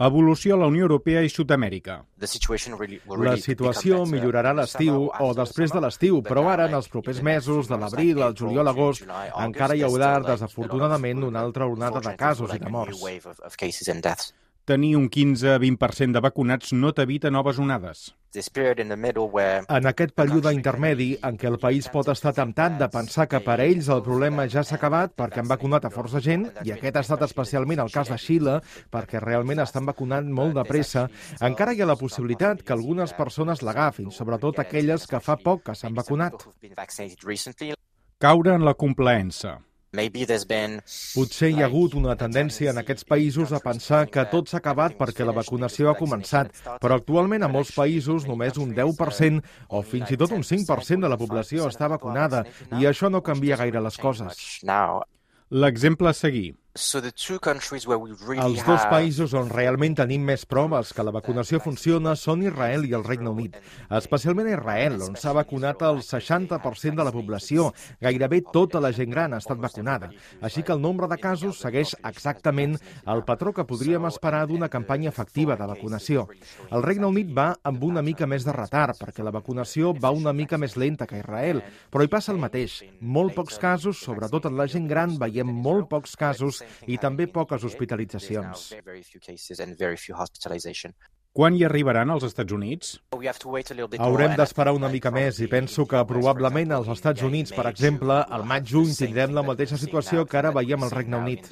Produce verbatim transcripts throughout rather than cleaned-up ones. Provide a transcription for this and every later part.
Evolució a la Unió Europea i Sud-amèrica. La situació millorarà a l'estiu o després de l'estiu, però ara, en els propers mesos, de l'abril al juliol a agost, encara hi haurà, desafortunadament, una altra onada de casos i de morts. Tenir un quinze a vint per cent de vacunats no t'evita noves onades. En aquest període intermedi, en què el país pot estar temptat de pensar que per a ells el problema ja s'ha acabat perquè han vacunat a força gent, i aquest ha estat especialment el cas de Xile, perquè realment estan vacunant molt de pressa, encara hi ha la possibilitat que algunes persones l'agafin, sobretot aquelles que fa poc que s'han vacunat. Caure en la complaença. Potser hi ha hagut una tendència en aquests països a pensar que tot s'ha acabat perquè la vacunació ha començat, però actualment a molts països només un deu per cent o fins i tot un cinc per cent de la població està vacunada i això no canvia gaire les coses. L'exemple a seguir. Els dos països on realment tenim més proves que la vacunació funciona són Israel i el Regne Unit. Especialment a Israel, on s'ha vacunat el seixanta per cent de la població. Gairebé tota la gent gran ha estat vacunada. Així que el nombre de casos segueix exactament el patró que podríem esperar d'una campanya efectiva de vacunació. El Regne Unit va amb una mica més de retard, perquè la vacunació va una mica més lenta que Israel, però hi passa el mateix. Molt pocs casos, sobretot en la gent gran, veiem molt pocs casos i també poques hospitalitzacions. Quan hi arribaran als Estats Units? Haurem d'esperar una mica més i penso que probablement als Estats Units, per exemple, al maig-juny tindrem la mateixa situació que ara veiem al Regne Unit.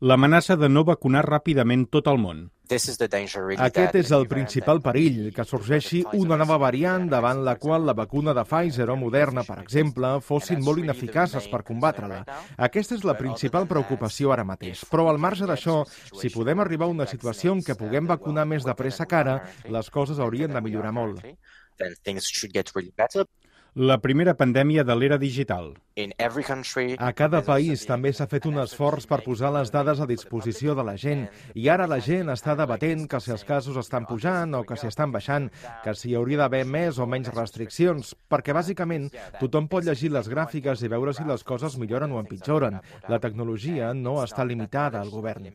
L'amenaça de no vacunar ràpidament tot el món. Aquest és el principal perill, que sorgeixi una nova variant davant la qual la vacuna de Pfizer o Moderna, per exemple, fossin molt ineficaces per combatre-la. Aquesta és la principal preocupació ara mateix. Però al marge d'això, si podem arribar a una situació en què puguem vacunar més de pressa que ara, les coses haurien de millorar molt. La primera pandèmia de l'era digital. A cada país també s'ha fet un esforç per posar les dades a disposició de la gent i ara la gent està debatent que si els casos estan pujant o que si estan baixant, que si hi hauria d'haver més o menys restriccions, perquè bàsicament tothom pot llegir les gràfiques i veure si les coses milloren o empitjoren. La tecnologia no està limitada al govern.